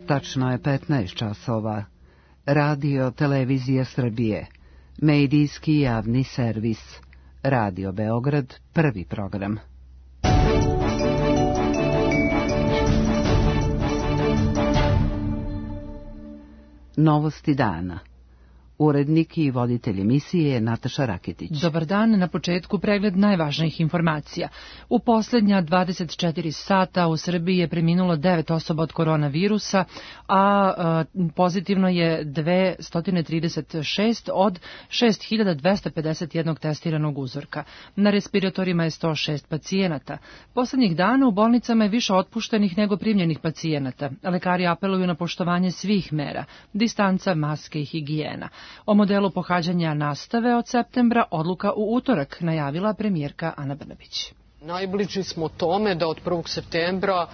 Tačno je 15 časova. Radio Televizija Srbije. Medijski javni servis. Radio Beograd, prvi program. Novosti dana. Urednik i voditelj emisije je Nataša Raketić. Dobar dan, na početku pregled najvažnijih informacija. U posljednja 24 sata u Srbiji je preminulo 9 osoba od koronavirusa, a pozitivno je 236 od 6251 testiranog uzorka. Na respiratorima je 106 pacijenata. Posljednjih dana u bolnicama je više otpuštenih nego primljenih pacijenata. Lekari apeluju na poštovanje svih mera, distanca, maske i higijena. O modelu pohađanja nastave od septembra odluka u utorak, najavila premijerka Ana Brnabić. Najbliži smo tome da od 1. septembra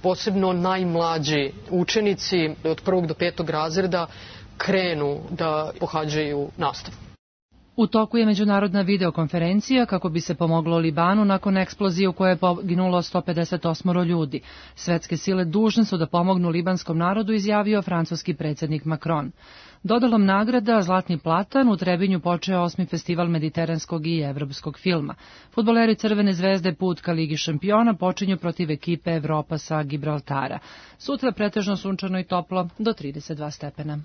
posebno najmlađi učenici od 1. do 5. razreda krenu da pohađaju nastavu. U toku je međunarodna videokonferencija kako bi se pomoglo Libanu nakon eksplozije u kojoj je poginulo 158 ljudi. Svetske sile dužne su da pomognu libanskom narodu, izjavio francuski predsjednik Macron. Dodalom nagrada Zlatni platan u Trebinju počeo 8. festival mediteranskog i evropskog filma. Fudbaleri Crvene zvezde put ka Ligi šampiona počinju protiv ekipe Evropa sa Gibraltara. Sutra pretežno sunčano i toplo do 32 stepena.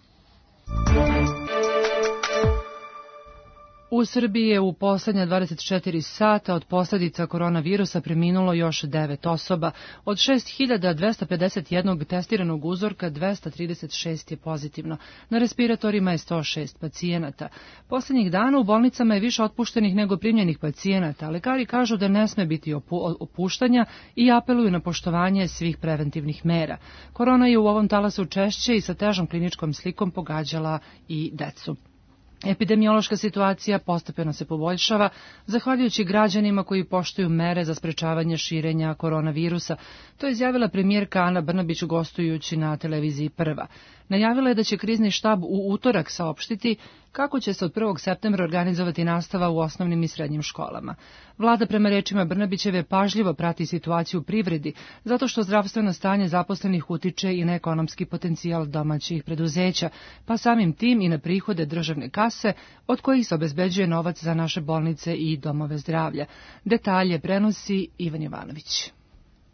U Srbiji je u posljednja 24 sata od posljedica koronavirusa preminulo još 9 osoba. Od 6251 testiranog uzorka 236 je pozitivno. Na respiratorima je 106 pacijenata. Posljednjih dana u bolnicama je više otpuštenih nego primljenih pacijenata. Lekari kažu da ne sme biti opuštanja i apeluju na poštovanje svih preventivnih mera. Korona je u ovom talasu češće i sa težom kliničkom slikom pogađala i decu. Epidemiološka situacija postepeno se poboljšava, zahvaljujući građanima koji poštuju mere za sprečavanje širenja koronavirusa. To je izjavila premijerka Ana Brnabić gostujući na televiziji Prva. Najavila je da će krizni štab u utorak saopštiti kako će se od 1. septembra organizovati nastava u osnovnim i srednjim školama. Vlada prema rečima Brnabićeve pažljivo prati situaciju u privredi, zato što zdravstveno stanje zaposlenih utiče i na ekonomski potencijal domaćih preduzeća, pa samim tim i na prihode državne kase, od kojih se obezbeđuje novac za naše bolnice i domove zdravlja. Detalje prenosi Ivan Jovanović.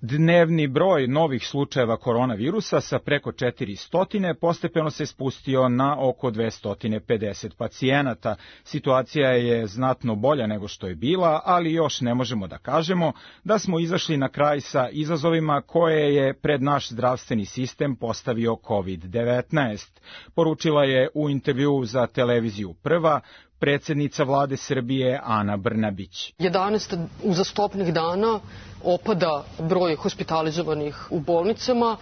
Dnevni broj novih slučajeva koronavirusa sa preko 400 postepeno se spustio na oko 250 pacijenata. Situacija je znatno bolja nego što je bila, ali još ne možemo da kažemo da smo izašli na kraj sa izazovima koje je pred naš zdravstveni sistem postavio COVID-19. Poručila je u intervjuu za televiziju Prva predsjednica vlade Srbije Ana Brnabić. 11 uzastopnih dana opada broj hospitalizovanih u bolnicama.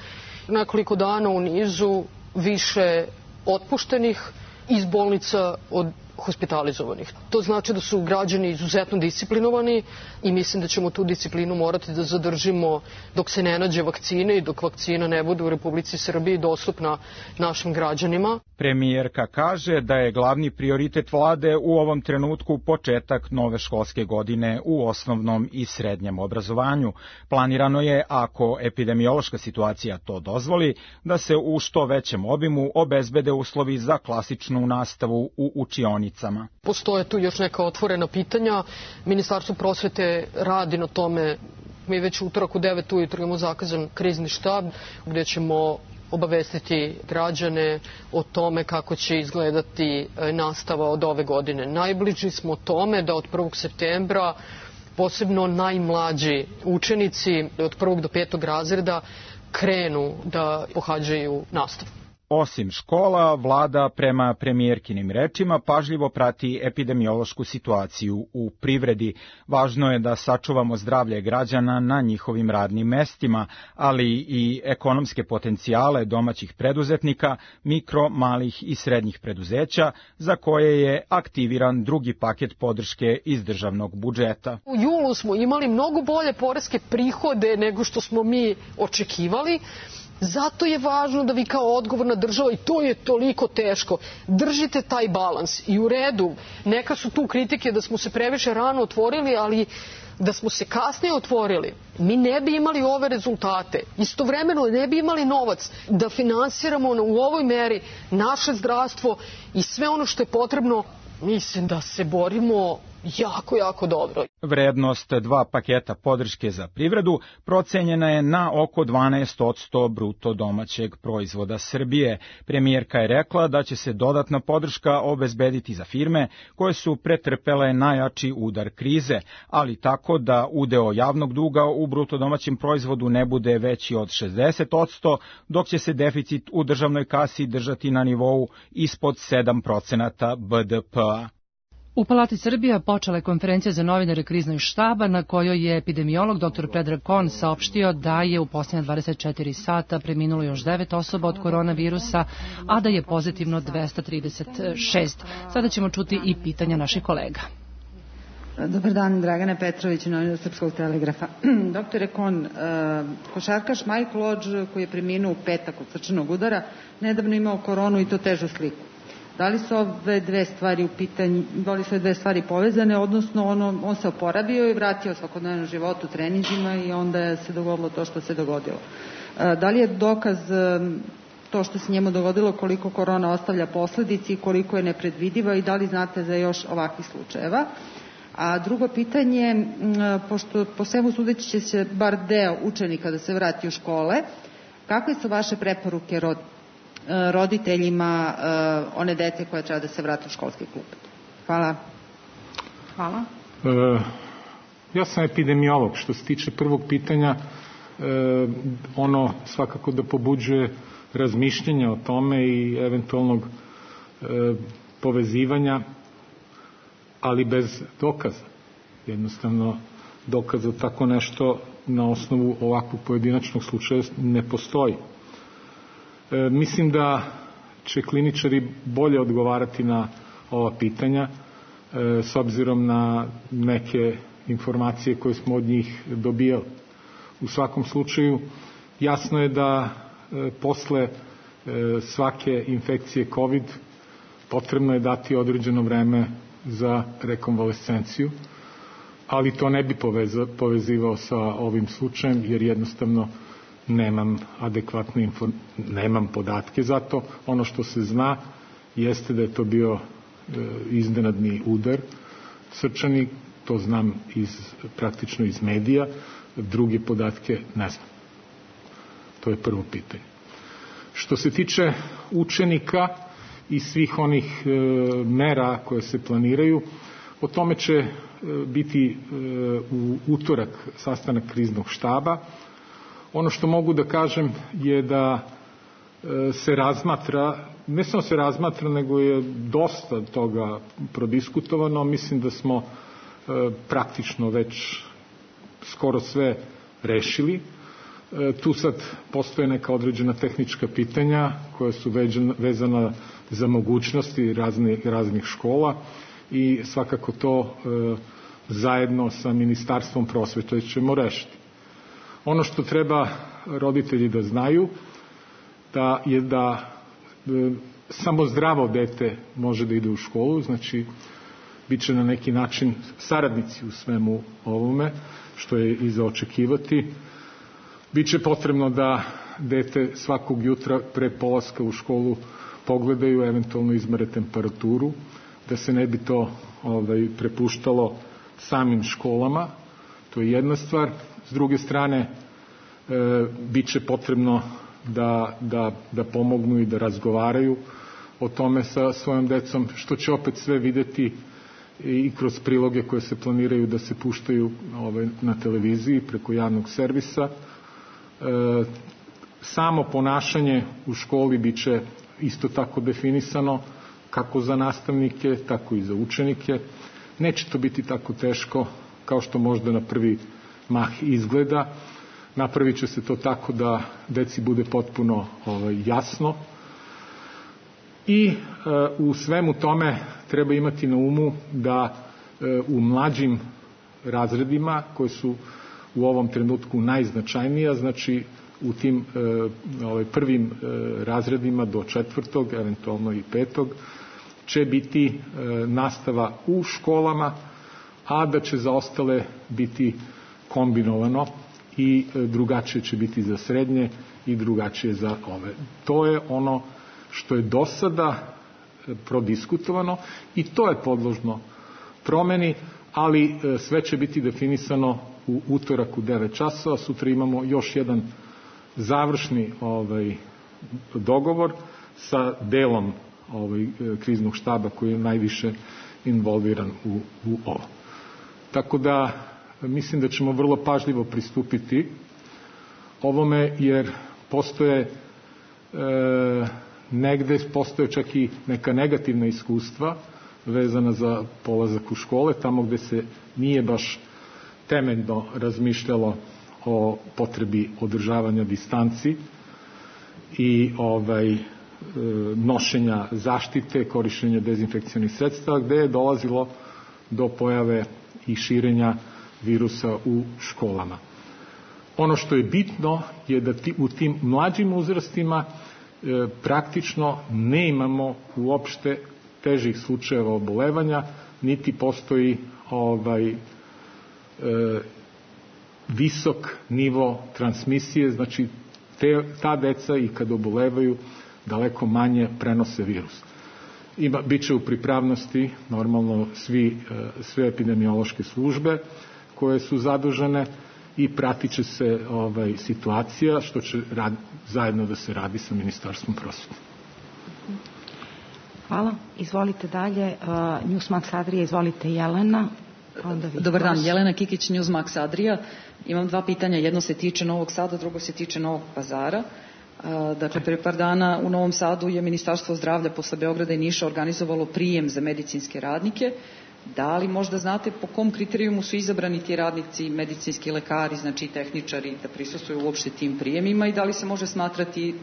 Nekoliko dana u nizu više otpuštenih iz bolnica od hospitalizovanih. To znači da su građani izuzetno disciplinovani i mislim da ćemo tu disciplinu morati da zadržimo dok se ne nađe vakcine i dok vakcina ne bude u Republici Srbiji dostupna našim građanima. Premijerka kaže da je glavni prioritet vlade u ovom trenutku početak nove školske godine u osnovnom i srednjem obrazovanju. Planirano je, ako epidemiološka situacija to dozvoli, da se u što većem obimu obezbede uslovi za klasičnu nastavu u učionicama. Postoje tu još neka otvorena pitanja. Ministarstvo prosvete radi na tome. Mi već utorak u 9 ujutro imamo zakazan krizni štab gdje ćemo obavestiti građane o tome kako će izgledati nastava od ove godine. Najbliži smo tome da od 1. septembra posebno najmlađi učenici od 1. do 5. razreda krenu da pohađaju nastavu. Osim škola, vlada prema premijerkinim rečima pažljivo prati epidemiološku situaciju u privredi. Važno je da sačuvamo zdravlje građana na njihovim radnim mestima, ali i ekonomske potencijale domaćih preduzetnika, mikro, malih i srednjih preduzeća, za koje je aktiviran drugi paket podrške iz državnog budžeta. U julu smo imali mnogo bolje poreske prihode nego što smo mi očekivali. Zato je važno da vi kao odgovorna država, i to je toliko teško, držite taj balans. I u redu, neka su tu kritike da smo se previše rano otvorili, ali Da smo se kasnije otvorili, mi ne bi imali ove rezultate. Istovremeno ne bi imali novac da finansiramo u ovoj meri naše zdravstvo i sve ono što je potrebno. Mislim da se borimo jako dobro. Vrednost 2 paketa podrške za privredu procenjena je na oko 12% bruto domaćeg proizvoda Srbije. Premijerka je rekla da će se dodatna podrška obezbediti za firme koje su pretrpele najjači udar krize, ali tako da udeo javnog duga u bruto domaćem proizvodu ne bude veći od 60%, dok će se deficit u državnoj kasi držati na nivou ispod 7% BDP-a. U Palati Srbija počela je konferencija za novinare kriznog štaba na kojoj je epidemiolog dr. Predrag Kon saopštio da je u posljednja 24 sata preminulo još 9 osoba od koronavirusa, a da je pozitivno 236. Sada ćemo čuti i pitanja naših kolega. Dobar dan, Dragana Petrović, novinar Srpskog telegrafa. Doktore Kon, košarkaš Michael Lodge, koji je preminuo u petak od srčanog udara, nedavno imao koronu i to težu sliku. Da li su ove dve stvari u pitanju, da li su ove dve stvari povezane, odnosno on se oporavio i vratio svakodnevno životu, treninzima i onda se dogodilo to što se dogodilo. Da li je dokaz to što se njemu dogodilo koliko korona ostavlja posledici i koliko je nepredvidiva i da li znate za još ovakvih slučajeva? A drugo pitanje, pošto po svemu sudeći će se bar deo učenika da se vrati u škole, kakve su vaše preporuke roditeljima one dete koje treba da se vrati u školski klub? Hvala. Hvala. Ja sam epidemiolog. Što se tiče prvog pitanja, ono svakako da pobuđuje razmišljanja o tome i eventualnog povezivanja, ali bez dokaza. Jednostavno, dokaz za tako nešto na osnovu ovakvog pojedinačnog slučaja ne postoji. Mislim da će kliničari bolje odgovarati na ova pitanja s obzirom na neke informacije koje smo od njih dobijali. U svakom slučaju, jasno je da posle svake infekcije COVID potrebno je dati određeno vreme za rekonvalescenciju, ali to ne bi povezivao sa ovim slučajem, jer jednostavno nemam adekvatne nemam podatke za to. Ono što se zna jeste da je to bio iznenadni udar srčani, to znam praktično iz medija, druge podatke ne znam. To je prvo pitanje. Što se tiče učenika i svih onih mera koje se planiraju, o tome će biti u utorak sastanak kriznog štaba. Ono što mogu da kažem je da se razmatra, ne samo se razmatra, nego je dosta toga prodiskutovano. Mislim da smo praktično već skoro sve rešili. Tu sad postoje neka određena tehnička pitanja koja su vezana za mogućnosti raznih škola i svakako to zajedno sa Ministarstvom prosvete ćemo rešiti. Ono što treba roditelji da znaju je da samo zdravo dete može da ide u školu, znači bit će na neki način saradnici u svemu ovome, što je i za očekivati. Biće potrebno da dete svakog jutra pre polaska u školu pogledaju, eventualno izmere temperaturu, da se ne bi to prepuštalo samim školama. To je jedna stvar. S druge strane, bit će potrebno da pomognu i da razgovaraju o tome sa svojom decom, što će opet sve videti i kroz priloge koje se planiraju da se puštaju na televiziji preko javnog servisa. Samo ponašanje u školi bit će isto tako definisano, kako za nastavnike, tako i za učenike. Neće to biti tako teško kao što možda na prvi mah izgleda. Napravit će se to tako da deci bude potpuno jasno. I u svemu tome treba imati na umu da u mlađim razredima, koji su u ovom trenutku najznačajnija, znači u tim prvim razredima do 4., eventualno i 5., će biti nastava u školama, a da će za ostale biti kombinovano i drugačije će biti za srednje i drugačije za ove. To je ono što je do sada prodiskutovano i to je podložno promeni, ali sve će biti definisano u utorak u 9 časova. Sutra imamo još jedan završni dogovor sa delom kriznog štaba koji je najviše involviran u ovo. Tako da mislim da ćemo vrlo pažljivo pristupiti ovome, jer postoje negde čak i neka negativna iskustva vezana za polazak u škole, tamo gde se nije baš temeljno razmišljalo o potrebi održavanja distanci i nošenja zaštite, korišćenja dezinfekcionih sredstava, gde je dolazilo do pojave i širenja virusa u školama. Ono što je bitno je da u tim mlađim uzrastima praktično ne imamo uopšte težih slučajeva obolevanja, niti postoji visok nivo transmisije, znači ta deca i kad obolevaju daleko manje prenose virus. Biće u pripravnosti normalno sve epidemiološke službe koje su zadužene i pratit će se situacija, što će zajedno da se radi sa Ministarstvom prosvete. Hvala. Izvolite dalje. Newsmax Adrija, izvolite Jelena. Dobar dan, Jelena Kikić, Newsmax Adrija. Imam 2 pitanja, jedno se tiče Novog Sada, drugo se tiče Novog Pazara. Dakle, pre par dana u Novom Sadu je Ministarstvo zdravlja posle Beograda i Niša organizovalo prijem za medicinske radnike. Da li možda znate po kom kriterijumu su izabrani ti radnici, medicinski lekari, znači tehničari, da prisustuju uopšte tim prijemima i da li se može smatrati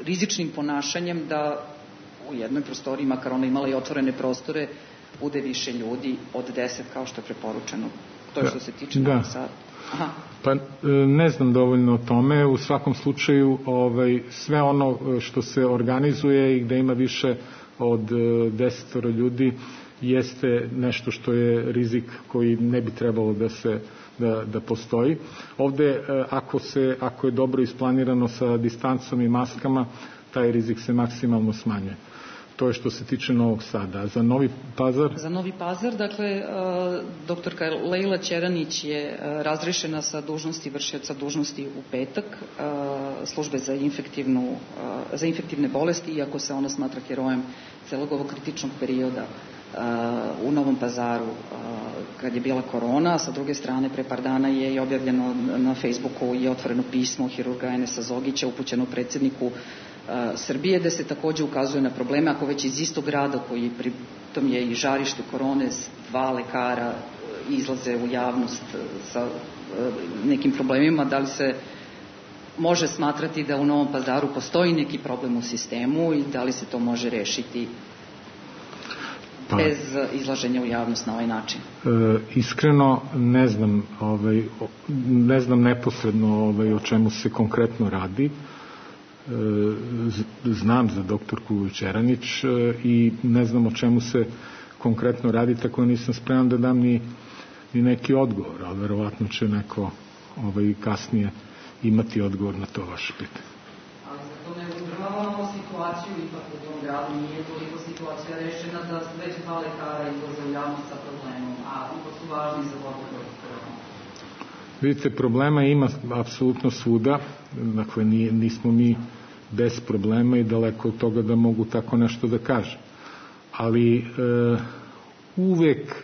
rizičnim ponašanjem da u jednoj prostoriji, makar ona imala i otvorene prostore, bude više ljudi od 10 kao što je preporučeno? To je što se tiče Novog Sada. Aha. Pa ne znam dovoljno o tome. U svakom slučaju sve ono što se organizuje i gde ima više od 10 ljudi jeste nešto što je rizik koji ne bi trebalo da postoji. Ovde ako je dobro isplanirano sa distancom i maskama, taj rizik se maksimalno smanjuje. To je što se tiče Novog Sada. Za Novi Pazar? Za Novi Pazar, dakle, doktorka Lejla Ćeranić je razrešena sa dužnosti vršioca dužnosti u petak službe za infektivne bolesti, iako se ona smatra herojem celog ovog kritičnog perioda u Novom Pazaru kad je bila korona. Sa druge strane, pre par dana je i objavljeno na Facebooku i otvoreno pismo hirurga Enesa Zogića upućeno predsjedniku Srbije, gde se takođe ukazuje na probleme, ako već iz istog grada koji pritom je i žarište korone, 2 lekara izlaze u javnost sa nekim problemima, da li se može smatrati da u Novom Pazaru postoji neki problem u sistemu i da li se to može rešiti bez izlaženja u javnost na ovaj način? Iskreno ne znam neposredno o čemu se konkretno radi. Znam za doktorku Ćeranić i ne znam o čemu se konkretno radi, tako da nisam spreman da dam ni neki odgovor, ali verovatno će neko kasnije imati odgovor na to vaše pitanje. Ali za to ne uzdravamo situaciju ipak u tom gradu, nije toliko situacija rešena da već 2 lekara izlaze u javnost sa problemom, a ipak su važni za borbu protiv korona. Vidite, problema ima apsolutno svuda, dakle nismo mi bez problema i daleko od toga da mogu tako nešto da kažem. Ali uvek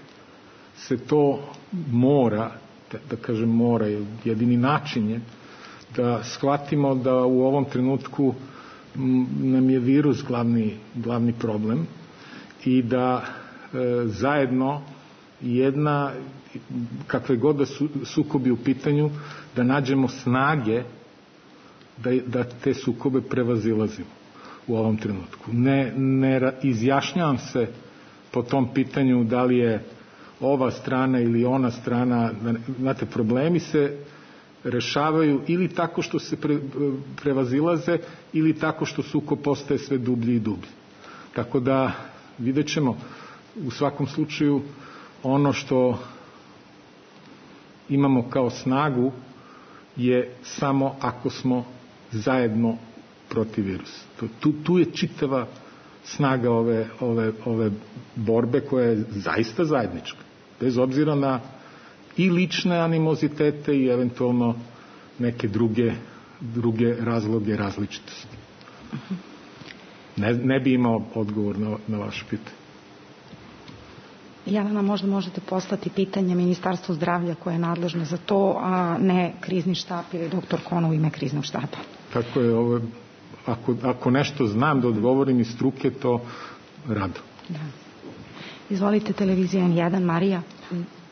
se to mora, da kažem mora, jedini način je da shvatimo da u ovom trenutku nam je virus glavni problem i da zajedno kakve god da sukobi u pitanju, da nađemo snage da te sukobe prevazilazimo u ovom trenutku. Ne izjašnjavam se po tom pitanju da li je ova strana ili ona strana. Znate, problemi se rešavaju ili tako što se prevazilaze ili tako što sukob postaje sve dublji i dublji. Tako da vidjet ćemo u svakom slučaju ono što imamo kao snagu je samo ako smo zajedno protiv virusa. Tu je čitava snaga ove borbe koja je zaista zajednička. Bez obzira na i lične animozitete i eventualno neke druge razloge različitosti. Ne bi imao odgovor na vaše pitanje. Jelena, možda možete poslati pitanje Ministarstvu zdravlja koje je nadležno za to, a ne krizni štab ili doktor Kon u ime kriznog štaba. Tako je, ako nešto znam da odgovorim iz struke, to rado. Da. Izvolite, televizija N1, Marija.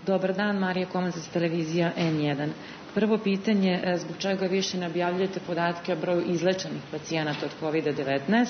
Dobar dan, Marija Komazac, televizija N1. Prvo pitanje, zbog čega više ne objavljujete podatke o broju izlečenih pacijenata od COVID-19?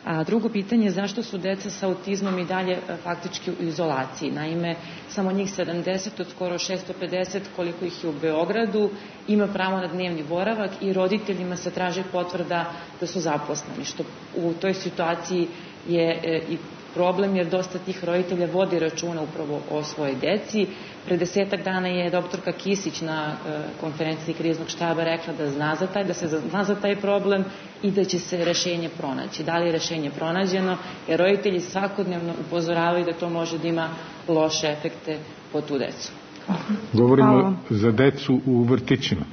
A drugo pitanje, zašto su deca sa autizmom i dalje faktički u izolaciji? Naime, samo njih 70 od skoro 650, koliko ih je u Beogradu, ima pravo na dnevni boravak i roditeljima se traži potvrda da su zaposleni, što u toj situaciji je i problem, jer dosta tih roditelja vodi računa upravo o svojoj deci. Pre 10 dana je doktorka Kisić na konferenciji kriznog štaba rekla da se zna za taj problem i da će se rešenje pronaći. Da li je rešenje pronađeno? Jer roditelji svakodnevno upozoravaju da to može da ima loše efekte po tu decu. Govorimo za decu u vrtićima.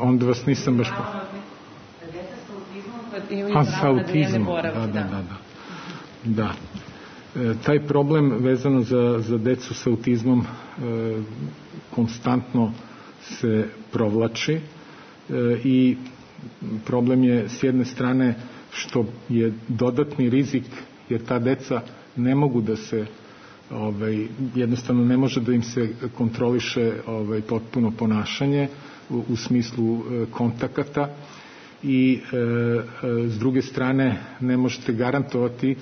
Onda vas nisam baš... sa autizmom. Da. Taj problem vezano za decu sa autizmom konstantno se provlači i problem je s jedne strane što je dodatni rizik, jer ta deca ne mogu da se jednostavno ne može da im se kontroliše potpuno ponašanje u smislu kontakata i s druge strane ne možete garantovati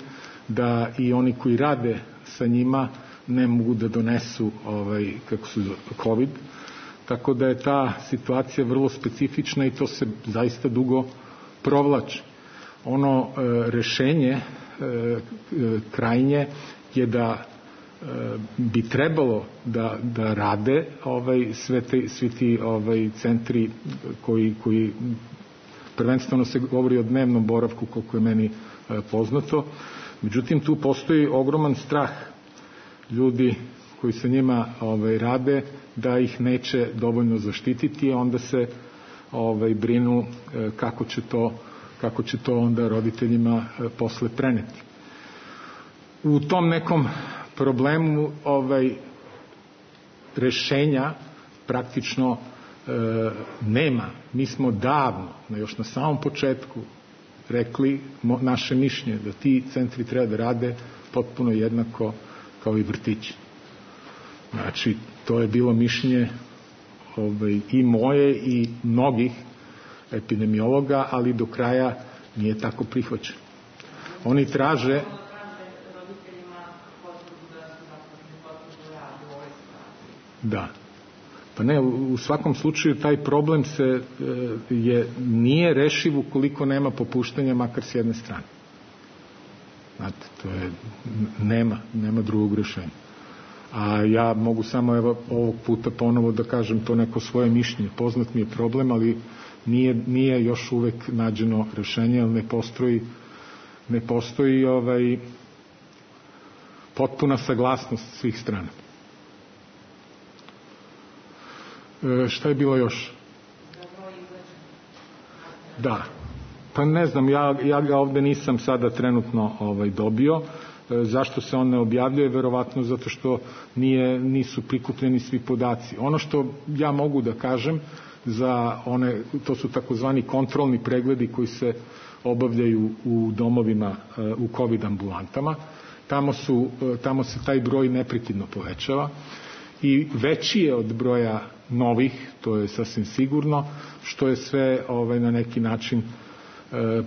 da i oni koji rade sa njima ne mogu da donesu COVID. Tako da je ta situacija vrlo specifična i to se zaista dugo provlači. Ono rešenje krajnje je da bi trebalo da rade svi ti centri koji prvenstveno se govori o dnevnom boravku, koliko je meni poznato. Međutim, tu postoji ogroman strah ljudi koji sa njima rade da ih neće dovoljno zaštititi, a onda se brinu kako će to onda roditeljima posle preneti. U tom nekom problemu rešenja praktično nema. Mi smo davno, još na samom početku, rekli naše mišljenje da ti centri treba da rade potpuno jednako kao i vrtići. Znači, to je bilo mišljenje i moje i mnogih epidemiologa, ali do kraja nije tako prihvaćeno. Oni traže da. Pa ne, u svakom slučaju taj problem nije rešiv ukoliko nema popuštanja makar s jedne strane. Znate, nema drugog rešenja. A ja mogu samo ovog puta ponovo da kažem to neko svoje mišljenje. Poznat mi je problem, ali nije još uvek nađeno rešenje, ali ne postoji potpuna saglasnost svih strana. Šta je bilo još? Da. Pa ne znam, ja ga ovde nisam sada trenutno dobio. Zašto se on ne objavljuje? Verovatno zato što nisu prikupljeni svi podaci. Ono što ja mogu da kažem za to su takozvani kontrolni pregledi koji se obavljaju u domovima, u COVID ambulantama. Tamo se taj broj neprekidno povećava i veći je od broja novih, to je sasvim sigurno, što je sve na neki način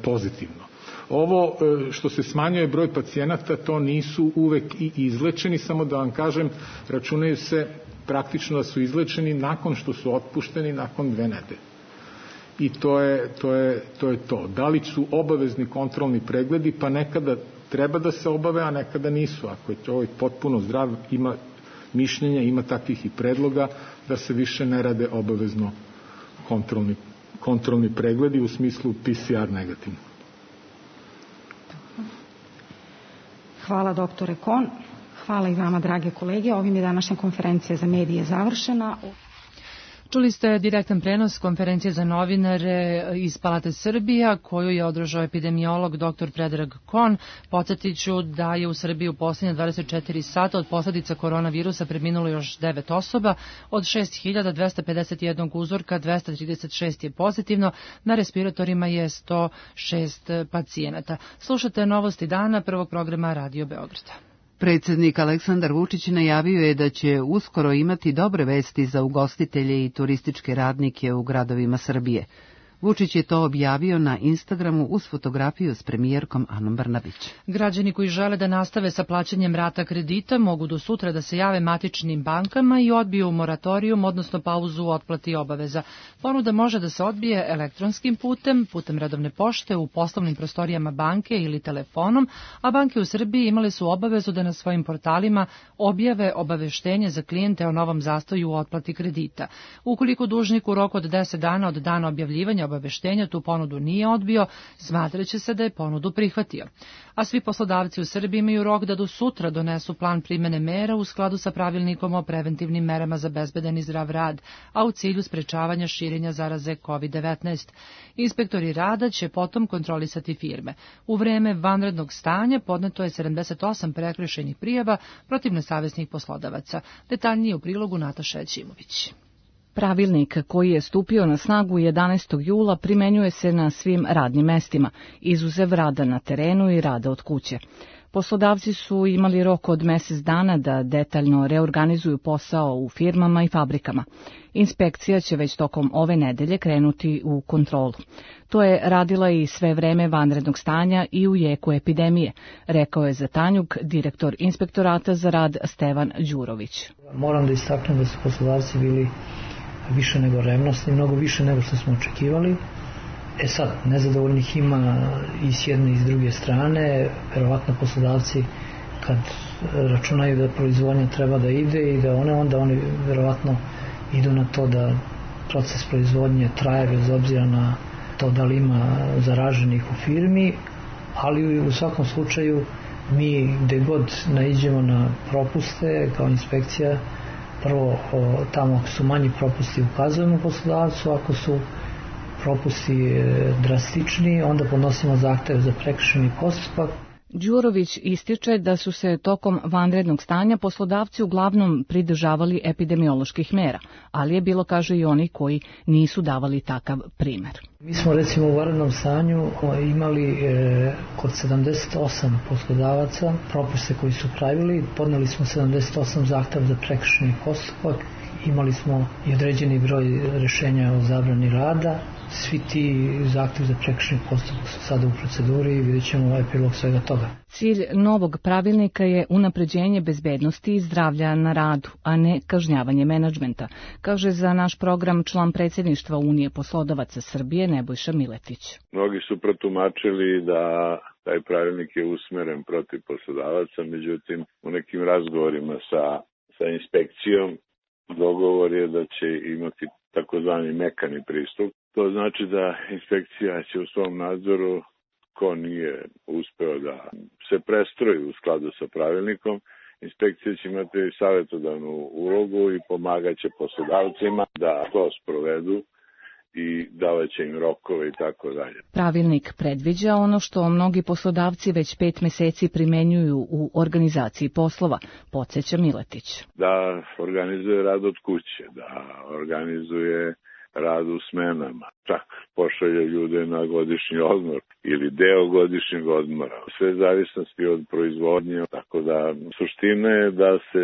pozitivno. Ovo što se smanjuje broj pacijenata, to nisu uvek i izlečeni, samo da vam kažem, računaju se praktično da su izlečeni nakon što su otpušteni nakon 2 nedelje. I to je to. Da li su obavezni kontrolni pregledi, pa nekada treba da se obave, a nekada nisu. Ako je čovjek potpuno zdrav, ima mišljenja, ima takvih i predloga da se više ne rade obavezno kontrolni pregledi u smislu PCR negativno. Hvala doktore Kon. Hvala i vama, drage kolege. Ovim je današnja konferencija za medije završena. Čuli ste direktan prenos konferencije za novinare iz Palate Srbija, koju je održao epidemiolog dr. Predrag Kon. Podsjetiću da je u Srbiji u posljednje 24 sata od posljedica koronavirusa preminulo još 9 osoba. Od 6.251 uzorka 236 je pozitivno, na respiratorima je 106 pacijenata. Slušate Novosti dana prvog programa Radio Beograda. Predsjednik Aleksandar Vučić najavio je da će uskoro imati dobre vesti za ugostitelje i turističke radnike u gradovima Srbije. Vučić je to objavio na Instagramu uz fotografiju s premijerkom Anom Brnabić. Građani koji žele da nastave sa plaćanjem rata kredita mogu do sutra da se jave matičnim bankama i odbiju moratorijum, odnosno pauzu u otplati obaveza. Ponuda može da se odbije elektronskim putem redovne pošte, u poslovnim prostorijama banke ili telefonom, a banke u Srbiji imale su obavezu da na svojim portalima objave obaveštenje za klijente o novom zastoju u otplati kredita. Ukoliko dužnik u roku od 10 dana od dana objavljivanja obaveštenja tu ponudu nije odbio, smatraće se da je ponudu prihvatio. A svi poslodavci u Srbiji imaju rok da do sutra donesu plan primene mera u skladu sa pravilnikom o preventivnim merama za bezbedan i zdrav rad, a u cilju sprečavanja širenja zaraze COVID-19. Inspektori rada će potom kontrolisati firme. U vreme vanrednog stanja podneto je 78 prekršajnih prijava protiv nesavesnih poslodavaca. Detaljnije u prilogu Nataša Ćimović. Pravilnik koji je stupio na snagu 11. jula primenjuje se na svim radnim mestima, izuzev rada na terenu i rada od kuće. Poslodavci su imali rok od mjesec dana da detaljno reorganizuju posao u firmama i fabrikama. Inspekcija će već tokom ove nedelje krenuti u kontrolu. To je radila i sve vreme vanrednog stanja i u jeku epidemije, rekao je za Tanjug direktor Inspektorata za rad Stevan Đurović. Moram da istaknem da su poslodavci bili više nego revnosni, mnogo više nego što smo očekivali. Sad, nezadovoljnih ima i s jedne i s druge strane. Verovatno poslodavci kad računaju da proizvodnja treba da ide i da onda oni verovatno idu na to da proces proizvodnje traje bez obzira na to da li ima zaraženih u firmi, ali u svakom slučaju mi gde god naiđemo na propuste kao inspekcija, prvo tamo ako su manji propusti ukazujemo poslodavcu, ako su propusti drastični, onda podnosimo zahtev za prekršajni postupak. Đurović ističe da su se tokom vanrednog stanja poslodavci uglavnom pridržavali epidemioloških mera, ali je bilo, kaže, i oni koji nisu davali takav primer. Mi smo recimo u vanrednom stanju imali kod 78 poslodavaca propuste koji su pravili, podneli smo 78 zahteva za prekršajni postupak, imali smo i određeni broj rešenja o zabrani rada. Svi ti zahtjevi za prekršajni postupak su sada u proceduri i vidjet ćemo epilog svega toga. Cilj novog pravilnika je unapređenje bezbednosti i zdravlja na radu, a ne kažnjavanje menadžmenta, kaže za naš program član predsjedništva Unije poslodavaca Srbije Nebojša Miletić. Mnogi su protumačili da taj pravilnik je usmeren protiv poslodavaca, međutim u nekim razgovorima sa inspekcijom dogovor je da će imati takozvani mekani pristup. To znači da inspekcija će u svom nadzoru, ko nije uspeo da se prestroji u skladu sa pravilnikom, inspekcija će imati savjetodavnu ulogu i pomagaće poslodavcima da to sprovedu i davaće im rokove i tako dalje. Pravilnik predviđa ono što mnogi poslodavci već 5 meseci primenjuju u organizaciji poslova, podsjeća Miletić. Da organizuje rad od kuće, da organizuje rad u smenama, čak pošalje ljude na godišnji odmor ili deo godišnjeg odmora. Sve zavisnosti od proizvodnje, tako da suština je da se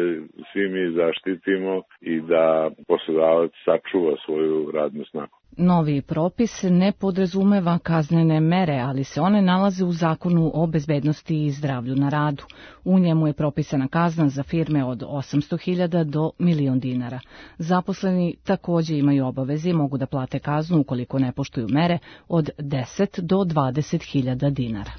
svi mi zaštitimo i da poslodavac sačuva svoju radnu snagu. Novi propis ne podrazumeva kaznene mere, ali se one nalaze u Zakonu o bezbednosti i zdravlju na radu. U njemu je propisana kazna za firme od 800.000 do 1.000.000 dinara. Zaposleni također imaju obaveze i mogu da plate kaznu ukoliko ne poštuju mere od 10 do 20.000 dinara.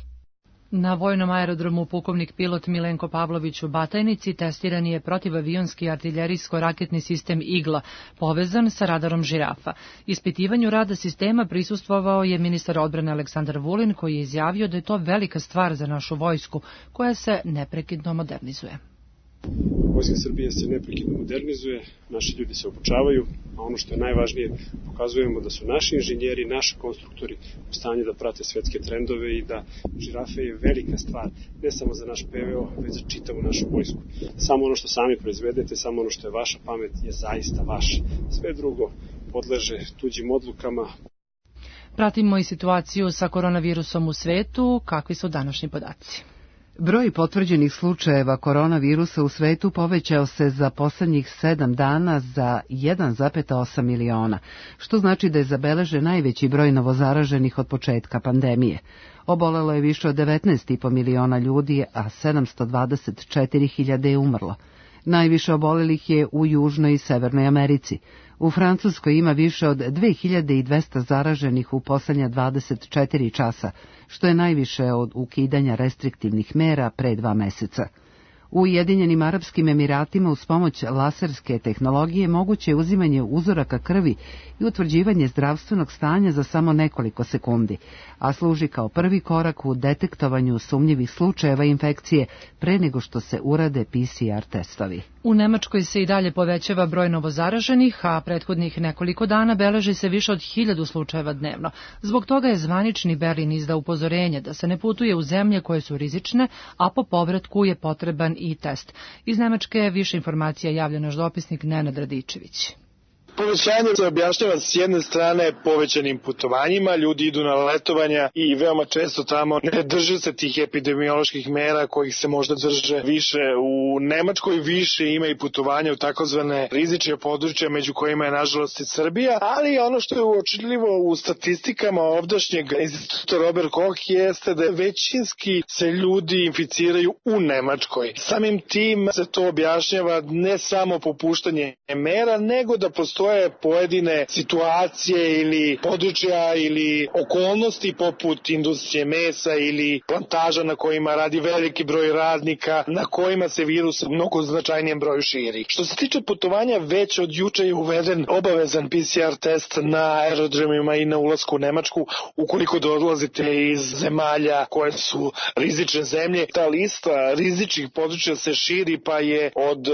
Na vojnom aerodromu pukovnik pilot Milenko Pavlović u Batajnici testiran je protivavionski artiljerijsko-raketni sistem Igla, povezan sa radarom Žirafa. Ispitivanju rada sistema prisustvovao je ministar odbrane Aleksandar Vulin, koji je izjavio da je to velika stvar za našu vojsku, koja se neprekidno modernizuje. Vojska Srbije se neprekidno modernizuje, naši ljudi se obučavaju, a ono što je najvažnije, pokazujemo da su naši inženjeri, naši konstruktori u stanju da prate svetske trendove i da Žirafe je velika stvar, ne samo za naš PVO, već za čitavu našu vojsku. Samo ono što sami proizvedete, samo ono što je vaša pamet je zaista vaše. Sve drugo podleže tuđim odlukama. Pratimo i situaciju sa koronavirusom u svetu. Kakvi su današnji podaci? Broj potvrđenih slučajeva koronavirusa u svetu povećao se za poslednjih 7 dana za 1,8 miliona, što znači da je zabeležen najveći broj novozaraženih od početka pandemije. Obolelo je više od 19,5 miliona ljudi, a 724.000 je umrlo. Najviše obolelih je u Južnoj i Severnoj Americi. U Francuskoj ima više od 2200 zaraženih u poslednja 24 časa, što je najviše od ukidanja restriktivnih mera pre 2 meseca. U Ujedinjenim Arapskim Emiratima uz pomoć laserske tehnologije moguće je uzimanje uzoraka krvi i utvrđivanje zdravstvenog stanja za samo nekoliko sekundi, a služi kao prvi korak u detektovanju sumnjivih slučajeva infekcije pre nego što se urade PCR testovi. U Nemačkoj se i dalje povećava broj novozaraženih, a prethodnih nekoliko dana beleži se više od 1000 slučajeva dnevno. Zbog toga je zvanični Berlin izdao upozorenje da se ne putuje u zemlje koje su rizične, a po povratku je potreban i test. Iz Nemačke više informacija javlja naš dopisnik Nenad Radičević. Povećanje se objašnjava s jedne strane povećanim putovanjima, ljudi idu na letovanja i veoma često tamo ne drže se tih epidemioloških mera kojih se možda drže više. U Nemačkoj više ima i putovanja u takozvane rizične područja, među kojima je nažalost i Srbija, ali ono što je uočljivo u statistikama ovdašnjeg instituta Robert Koch jeste da većinski se ljudi inficiraju u Nemačkoj. Samim tim se to objašnjava ne samo popuštanje mera, nego da postoje pojedine situacije ili područja ili okolnosti poput industrije mesa ili plantaža na kojima radi veliki broj radnika, na kojima se virus mnogo značajnijem broju širi. Što se tiče putovanja, već od juče je uveden obavezan PCR test na aerodromima i na ulasku u Nemačku ukoliko dolazite iz zemalja koje su rizične zemlje. Ta lista rizičnih područja se širi, pa je od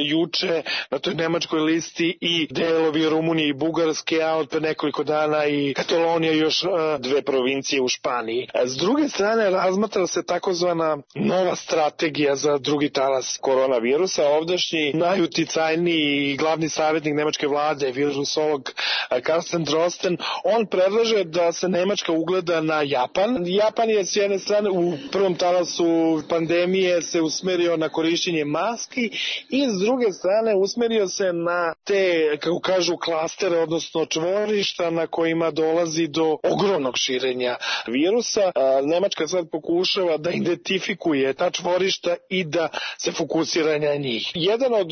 juče na toj nemačkoj listi i delovi Rumunije i Bugarske, a od pre nekoliko dana i Katalonija i još 2 provincije u Španiji. S druge strane, razmatra se takozvana nova strategija za drugi talas koronavirusa. Ovdašnji najuticajniji i glavni savjetnik nemačke vlade, virusolog Carsten Drosten, on predlaže da se Nemačka ugleda na Japan. Japan je s jedne strane u prvom talasu pandemije se usmerio na korišćenje maski i s druge strane usmerio se na te, kako kažu, klastere, odnosno čvorišta na kojima dolazi do ogromnog širenja virusa. Nemačka sad pokušava da identifikuje ta čvorišta i da se fokusira na njih. Jedan od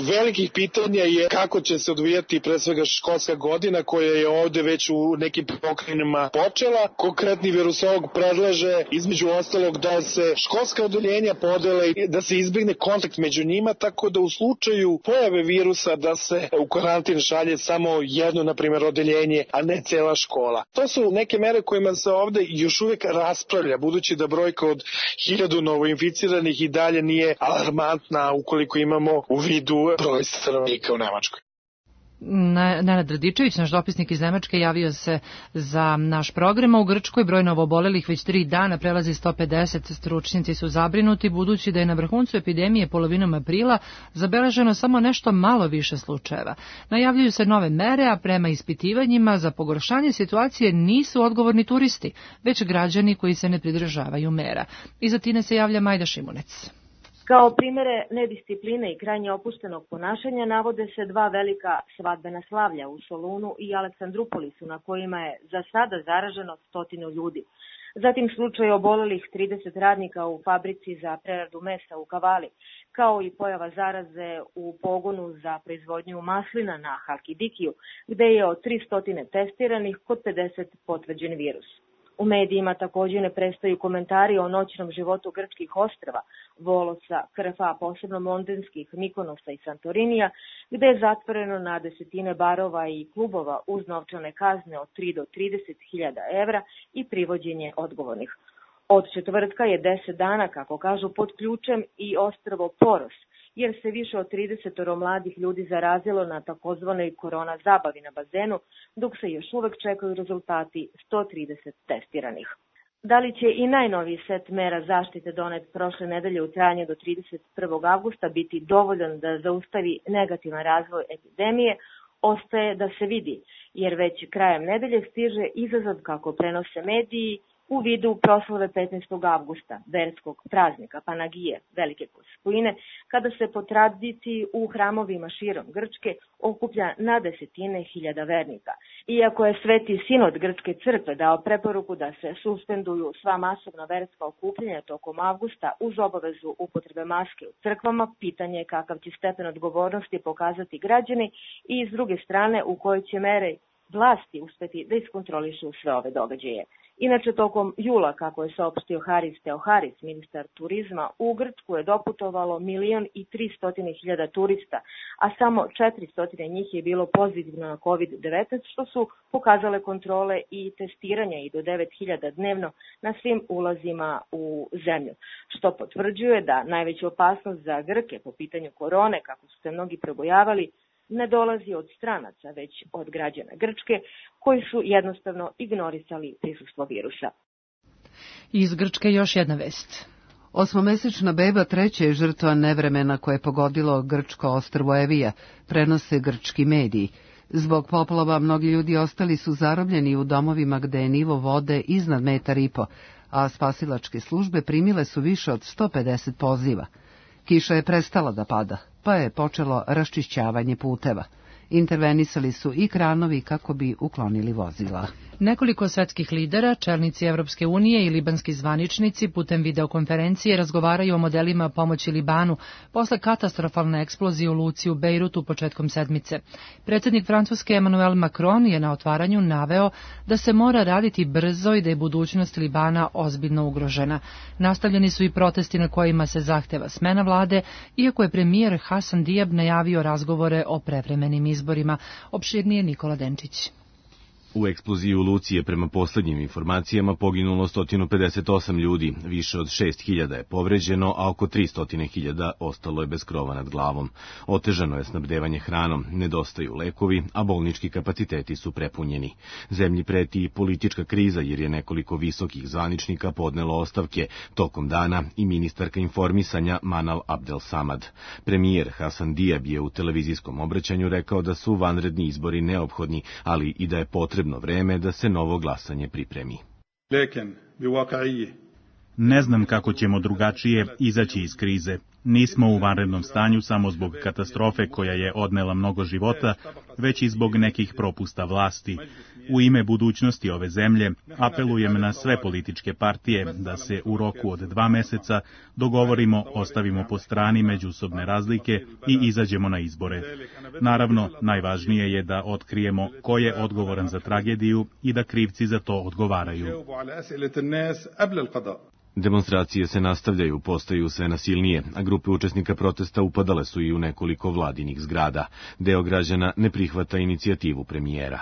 velikih pitanja je kako će se odvijati pre svega školska godina koja je ovde već u nekim pokrajinama počela. Konkretni virusolog predlaže između ostalog da se školska odeljenja podele i da se izbegne kontakt među njima, tako da u slučaju pojave virusa da se u karantin šalje samo jedno, na primjer, odeljenje, a ne cela škola. To su neke mere kojima se ovde još uvek raspravlja, budući da brojka od 1000 novoinficiranih i dalje nije alarmantna ukoliko imamo u vidu broj stanovnika u Nemačkoj. Nenad Radičević, naš dopisnik iz Nemačke, javio se za naš program. U Grčkoj broj novoobolelih već 3 dana prelazi 150. Stručnjaci su zabrinuti budući da je na vrhuncu epidemije polovinom aprila zabeleženo samo nešto malo više slučajeva. Najavljuju se nove mere, a prema ispitivanjima za pogoršanje situacije nisu odgovorni turisti, već građani koji se ne pridržavaju mera. Iz Atine se javlja Majda Šimunec. Kao primere nediscipline i krajnje opuštenog ponašanja navode se 2 velika svadbena slavlja u Solunu i Aleksandrupolisu, na kojima je za sada zaraženo 100 ljudi. Zatim slučaj obolelih 30 radnika u fabrici za preradu mesa u Kavali, kao i pojava zaraze u pogonu za proizvodnju maslina na Halkidikiju, gde je od 300 testiranih kod 50 potvrđen virus. U medijima također ne prestaju komentari o noćnom životu grčkih ostrva, Volosa, Krfa, posebno Mondenskih, Mikonosa i Santorinija, gde je zatvoreno na desetine barova i klubova uz novčane kazne od 3 do 30.000 evra i privođenje odgovornih. Od četvrtka je 10 dana, kako kažu, pod ključem i ostrvo Poros, jer se više od 30 mladih ljudi zarazilo na takozvanoj korona zabavi na bazenu, dok se još uvek čekaju rezultati 130 testiranih. Da li će i najnoviji set mera zaštite donet prošle nedelje u trajanju do 31. avgusta biti dovoljan da zaustavi negativan razvoj epidemije, ostaje da se vidi, jer već krajem nedelje stiže izazov, kako prenose mediji, u vidu proslave 15. avgusta, verskog praznika Panagije, Velike Gospojine, kada se po tradiciji u hramovima širom Grčke okuplja na desetine hiljada vernika. Iako je Sveti Sinod Grčke crkve dao preporuku da se suspenduju sva masovna verska okupljanja tokom avgusta uz obavezu upotrebe maske u crkvama, pitanje je kakav će stepen odgovornosti pokazati građani i s druge strane u kojoj će mere vlasti uspeti da iskontrolišu sve ove događaje. Inače, tokom jula, kako je saopštio Haris Teoharis, ministar turizma, u Grčku je doputovalo 1.300.000 turista, a samo 400 njih je bilo pozitivno na COVID-19, što su pokazale kontrole i testiranja i do 9.000 dnevno na svim ulazima u zemlju, što potvrđuje da najveća opasnost za Grke po pitanju korone, kako su se mnogi probojavali, ne dolazi od stranaca, već od građana Grčke, koji su jednostavno ignorisali prisustvo virusa. Iz Grčke još jedna vest. 8-mesečna beba treća je žrtva nevremena koje je pogodilo grčko ostrvo Evija, prenose grčki mediji. Zbog poplava mnogi ljudi ostali su zarobljeni u domovima gde je nivo vode iznad 1,5 m, a spasilačke službe primile su više od 150 poziva. Kiša je prestala da pada, pa je počelo raščišćavanje puteva. Intervenisali su i kranovi kako bi uklonili vozila. Nekoliko svetskih lidera, čelnici Evropske unije i libanski zvaničnici putem videokonferencije razgovaraju o modelima pomoći Libanu posle katastrofalne eksplozije u luci u Bejrutu početkom sedmice. Predsjednik Francuske Emmanuel Macron je na otvaranju naveo da se mora raditi brzo i da je budućnost Libana ozbiljno ugrožena. Nastavljeni su i protesti na kojima se zahteva smena vlade, iako je premijer Hasan Diab najavio razgovore o prevremenim izborima. Opširnije Nikola Denčić. U eksploziji u luci je prema poslednjim informacijama poginulo 158 ljudi, više od 6.000 je povređeno, a oko 300.000 ostalo je bez krova nad glavom. Otežano je snabdevanje hranom, nedostaju lekovi, a bolnički kapaciteti su prepunjeni. Zemlji preti i politička kriza jer je nekoliko visokih zvaničnika podnelo ostavke tokom dana i ministarka informisanja Manal Abdel Samad. Premijer Hasan Diab je u televizijskom obraćanju rekao da su vanredni izbori neophodni, ali i da je potrebno vreme da se novo glasanje pripremi. Ne znam kako ćemo drugačije izaći iz krize. Nismo u vanrednom stanju samo zbog katastrofe koja je odnela mnogo života, već i zbog nekih propusta vlasti. U ime budućnosti ove zemlje apelujem na sve političke partije da se u roku od 2 meseca dogovorimo, ostavimo po strani međusobne razlike i izađemo na izbore. Naravno, najvažnije je da otkrijemo ko je odgovoran za tragediju i da krivci za to odgovaraju. Demonstracije se nastavljaju, postaju sve nasilnije, a grupe učesnika protesta upadale su i u nekoliko vladinih zgrada. Deo građana ne prihvata inicijativu premijera.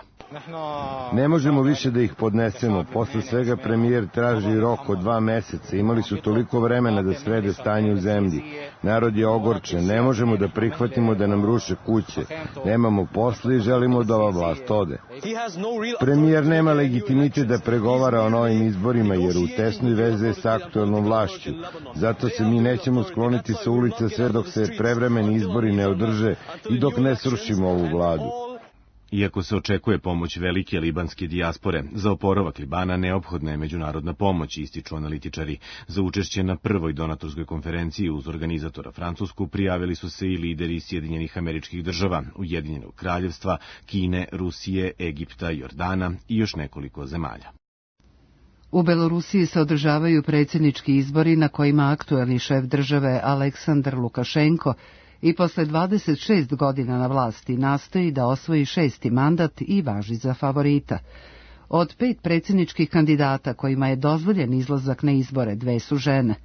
Ne možemo više da ih podnesemo. Posle svega premijer traži rok od 2 meseca. Imali su toliko vremena da srede stanje u zemlji. Narod je ogorčen. Ne možemo da prihvatimo da nam ruše kuće. Nemamo posla i želimo da ova vlast ode. Premijer nema legitimitet da pregovara o novim izborima jer u tesnoj veze je s aktuelnom vlašću. Zato se mi nećemo skloniti sa ulica sve dok se prevremeni izbori ne održe i dok ne srušimo ovu vladu. Iako se očekuje pomoć velike libanske dijaspore, za oporavak Libana neophodna je međunarodna pomoć, ističu analitičari. Za učešće na prvoj donatorskoj konferenciji uz organizatora Francusku prijavili su se i lideri Sjedinjenih Američkih Država, Ujedinjenog Kraljevstva, Kine, Rusije, Egipta, Jordana i još nekoliko zemalja. U Belorusiji se održavaju predsjednički izbori na kojima aktuelni šef države Aleksandar Lukašenko i posle 26 godina na vlasti nastoji da osvoji 6. mandat i važi za favorita. Od 5 predsjedničkih kandidata kojima je dozvoljen izlazak na izbore, 2 su žene.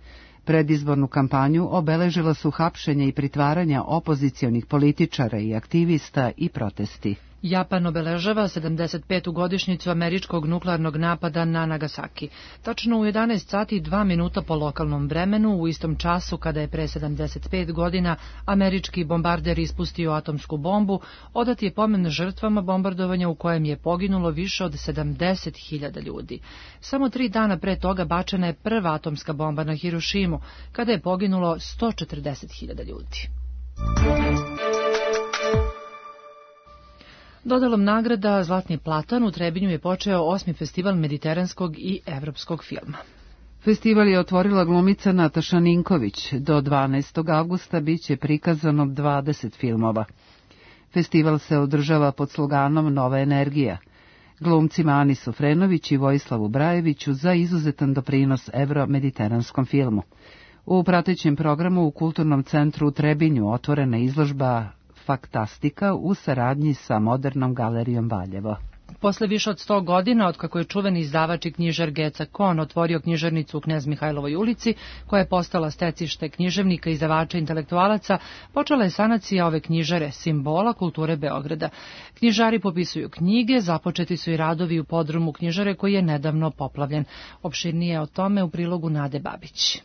Predizbornu kampanju obeležila su hapšenje i pritvaranja opozicionih političara i aktivista i protesti. Japan obeležava 75. godišnjicu američkog nuklearnog napada na Nagasaki. Tačno u 11 sati i 2 minuta po lokalnom vremenu, u istom času kada je pre 75 godina američki bombarder ispustio atomsku bombu, odat je pomen žrtvama bombardovanja u kojem je poginulo više od 70.000 ljudi. Samo 3 dana pre toga bačena je prva atomska bomba na Hirošimu, kada je poginulo 140.000 ljudi. Dodalom nagrada Zlatni platan u Trebinju je počeo 8. festival mediteranskog i evropskog filma. Festival je otvorila glumica Nataša Ninković. Do 12. avgusta biće prikazano 20 filmova. Festival se održava pod sloganom Nova energija. Glumcima Ani Sofrenović i Vojislavu Brajeviću za izuzetan doprinos evro-mediteranskom filmu. U pratećem programu u Kulturnom centru u Trebinju otvorena izložba Faktastika u saradnji sa Modernom galerijom Valjevo. Posle više od 100 godina, otkako je čuveni izdavač i knjižar Geca Kon otvorio knjižarnicu u Knez Mihajlovoj ulici, koja je postala stecište književnika, izdavača i intelektualaca, počela je sanacija ove knjižare, simbola kulture Beograda. Knjižari popisuju knjige, započeti su i radovi u podrumu knjižare koji je nedavno poplavljen. Opširnije o tome u prilogu Nade Babić.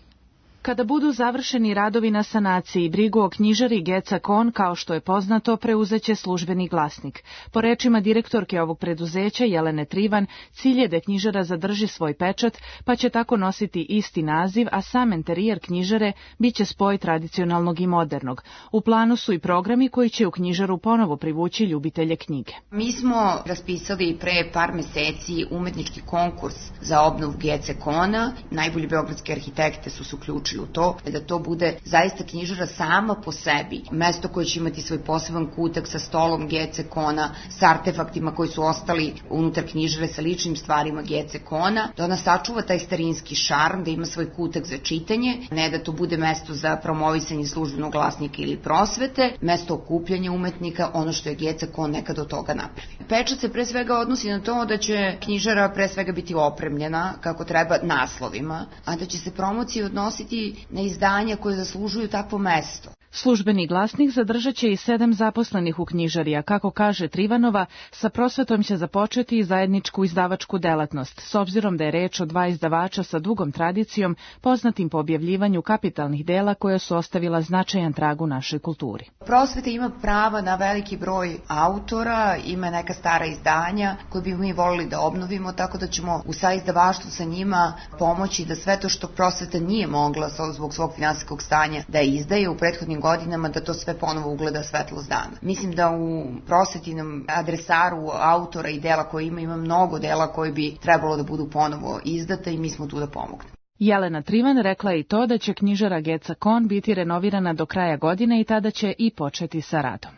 Kada budu završeni radovi na sanaciji, brigu o knjižari Geca Kon, kao što je poznato, preuzeće Službeni glasnik. Po rečima direktorke ovog preduzeća, Jelene Trivan, cilj je da knjižara zadrži svoj pečat, pa će tako nositi isti naziv, a sam enterijer knjižare biće spoj tradicionalnog i modernog. U planu su i programi koji će u knjižaru ponovo privući ljubitelje knjige. Mi smo raspisali pre par meseci umetnički konkurs za obnovu Gece Kona. Najbolji beogradski arhitekte su se uključili u to, da to bude zaista knjižara sama po sebi. Mesto koje će imati svoj poseban kutak sa stolom Gece Kona, sa artefaktima koji su ostali unutar knjižare, sa ličnim stvarima Gece Kona, da ona sačuva taj starinski šarm, da ima svoj kutak za čitanje, ne da to bude mesto za promovisanje Službenog glasnika ili prosvete, mesto okupljanja umetnika, ono što je Gece Kon nekad od toga napravi. Pečat se pre svega odnosi na to da će knjižara pre svega biti opremljena kako treba naslovima, a da će se promocije odnositi na izdanja koje zaslužuju takvo mesto. Službeni glasnik zadržat će i 7 zaposlenih u knjižari, a kako kaže Trivanova, sa prosvetom će započeti i zajedničku izdavačku delatnost, s obzirom da je reč o 2 izdavača sa dugom tradicijom, poznatim po objavljivanju kapitalnih dela koja su ostavila značajan trag u našoj kulturi. Prosveta ima prava na veliki broj autora, ima neka stara izdanja koje bi mi volili da obnovimo, tako da ćemo u saizdavaštvu sa njima pomoći da sve to što prosveta nije mogla zbog svog finansijskog stanja da izdaje u prethodnim godinama, da to sve ponovo ugleda svetlost dana. Mislim da u prosvetinom adresaru autora i dela koje ima mnogo dela koji bi trebalo da budu ponovo izdata i mi smo tu da pomognemo. Jelena Trivan rekla je i to da će knjižara Geca Kon biti renovirana do kraja godine i tada će i početi sa radom.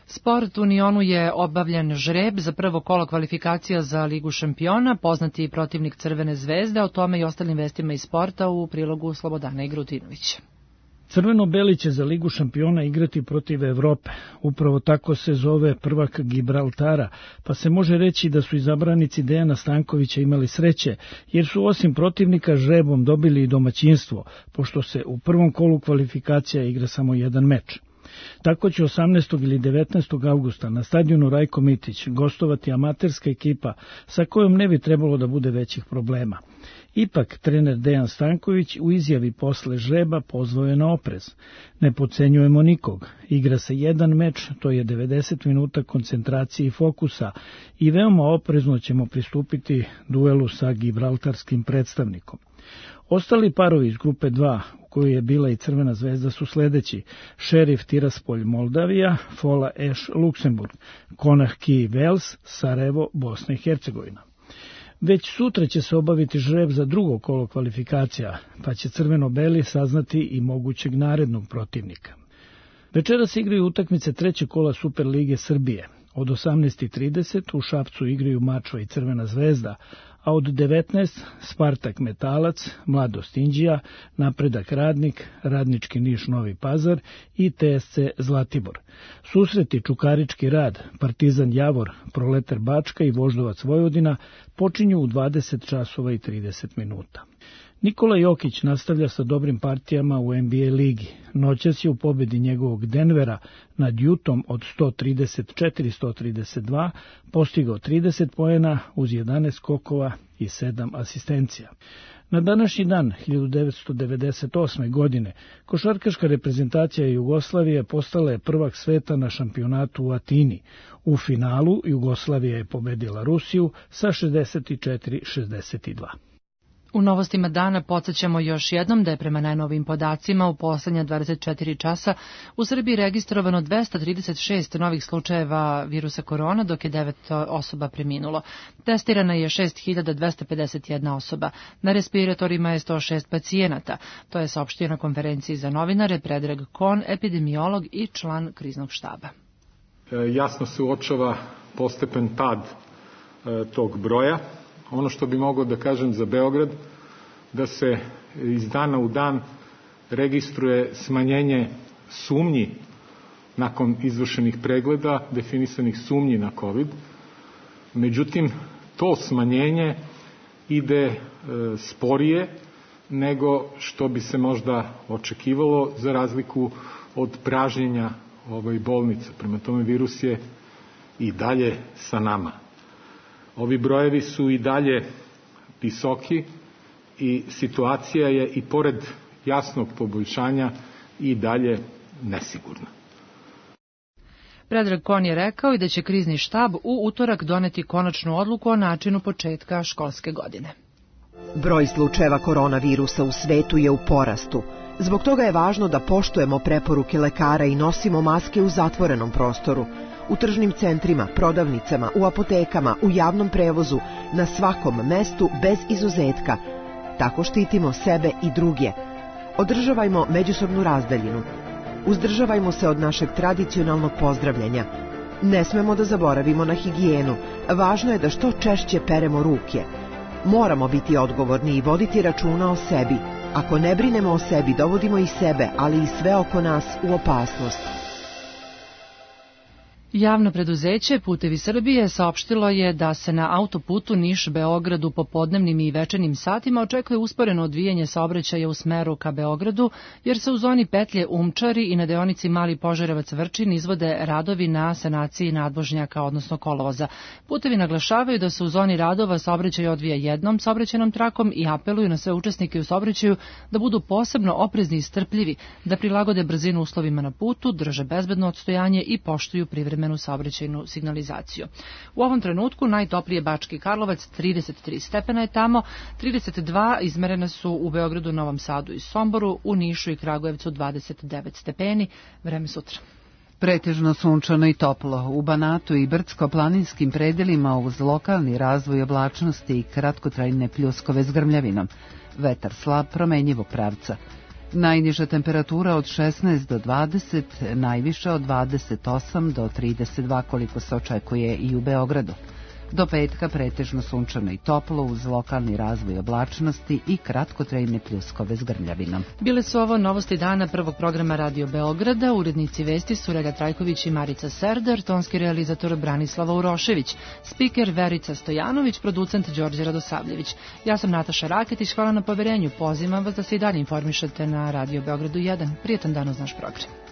Sport u Unionu je obavljen žreb za prvo kolo kvalifikacija za Ligu šampiona, poznati protivnik Crvene zvezde, o tome i ostalim vestima iz sporta u prilogu Slobodana Igrutinovića. Crveno-beli će za Ligu šampiona igrati protiv Evrope. Upravo tako se zove prvak Gibraltara, pa se može reći da su izabranici Dejana Stankovića imali sreće, jer su osim protivnika žrebom dobili i domaćinstvo, pošto se u prvom kolu kvalifikacija igra samo jedan meč. Tako će 18. ili 19. augusta na stadionu Rajko Mitić gostovati amaterska ekipa sa kojom ne bi trebalo da bude većih problema. Ipak, trener Dejan Stanković u izjavi posle žreba pozvao je na oprez. Ne podcenjujemo nikog. Igra se jedan meč, to je 90 minuta koncentracije i fokusa i veoma oprezno ćemo pristupiti duelu sa gibraltarskim predstavnikom. Ostali parovi iz grupe 2, u kojoj je bila i Crvena zvezda, su sledeći: Šerif Tiraspolj Moldavija, Fola Eš Luksemburg, Konah Ki Vels, Sarajevo, Bosna i Hercegovina. Već sutra će se obaviti žreb za drugo kolo kvalifikacija, pa će crveno-beli saznati i mogućeg narednog protivnika. Večeras igraju utakmice trećeg kola Superlige Srbije. Od 18:30 u Šapcu igraju Mačva i Crvena zvezda, a od 19 Spartak Metalac, Mladost Inđija, Napredak Radnik, Radnički Niš Novi Pazar i TSC Zlatibor. Susreti Čukarički Rad, Partizan Javor, Proletar Bačka i Voždovac Vojvodina počinju u 20:30. Nikola Jokić nastavlja sa dobrim partijama u NBA ligi. Noćas je u pobedi njegovog Denvera nad Jutom od 134-132 postigao 30 poena uz 11 skokova i 7 asistencija. Na današnji dan 1998. godine košarkaška reprezentacija Jugoslavije postala je prvak sveta na šampionatu u Atini. U finalu Jugoslavija je pobedila Rusiju sa 64-62. U novostima dana podsjećamo još jednom da je prema najnovijim podacima u poslednja 24 časa u Srbiji registrovano 236 novih slučajeva virusa korona, dok je 9 osoba preminulo. Testirana je 6251 osoba. Na respiratorima je 106 pacijenata. To je saopštio na konferenciji za novinare Predrag Kon, epidemiolog i član kriznog štaba. Jasno se uočava postepen pad tog broja. Ono što bi mogao da kažem za Beograd, da se iz dana u dan registruje smanjenje sumnji nakon izvršenih pregleda, definisanih sumnji na COVID. Međutim, to smanjenje ide sporije nego što bi se možda očekivalo za razliku od pražnjenja bolnica. Prema tome, virus je i dalje sa nama. Ovi brojevi su i dalje visoki i situacija je i pored jasnog poboljšanja i dalje nesigurna. Predrag Kon je rekao i da će krizni štab u utorak doneti konačnu odluku o načinu početka školske godine. Broj slučajeva koronavirusa u svetu je u porastu. Zbog toga je važno da poštujemo preporuke lekara i nosimo maske u zatvorenom prostoru. U tržnim centrima, prodavnicama, u apotekama, u javnom prevozu, na svakom mestu bez izuzetka. Tako štitimo sebe i druge. Održavajmo međusobnu razdaljinu. Uzdržavajmo se od našeg tradicionalnog pozdravljanja. Ne smemo da zaboravimo na higijenu. Važno je da što češće peremo ruke. Moramo biti odgovorni i voditi računa o sebi. Ako ne brinemo o sebi, dovodimo i sebe, ali i sve oko nas u opasnost. Javno preduzeće Putevi Srbije saopštilo je da se na autoputu Niš-Beograd u popodnevnim i večernjim satima očekuje usporeno odvijanje saobraćaja u smeru ka Beogradu, jer se u zoni petlje Umčari i na deonici Mali Požarevac-Vrčin izvode radovi na sanaciji nadvožnjaka, odnosno kolovoza. Putevi naglašavaju da se u zoni radova saobraćaj odvija jednom saobraćajnom trakom i apeluju na sve učesnike u saobraćaju da budu posebno oprezni i strpljivi, da prilagode brzinu uslovima na putu, drže bezbedno odstojanje i poštuju privremenu saobraćajnu signalizaciju. U ovom trenutku najtoplije Bački Karlovac, 33 stepena je tamo, 32 izmerene su u Beogradu, Novom Sadu i Somboru, u Nišu i Kragujevcu 29 stepeni. Vreme sutra. Pretežno sunčano i toplo. U Banatu i brdsko-planinskim predelima uz lokalni razvoj oblačnosti i kratkotrajne pljuskove s grmljavinom. Vetar slab, promenjivog pravca. Najniža temperatura od 16 do 20, najviša od 28 do 32 koliko se očekuje i u Beogradu. Do petka pretežno sunčano i toplo uz lokalni razvoj oblačnosti i kratkotrajne pljuskove s grmljavinom. Bile su ovo novosti dana prvog programa Radio Beograda. Urednici vesti su Rega Trajković i Marica Serdar, tonski realizator Branislava Urošević, spiker Verica Stojanović, producent Đorđe Radosavljević. Ja sam Nataša Raketić, hvala na poverenju. Pozivam vas da se i dalje informišete na Radio Beogradu 1. Prijetan dan uz naš program.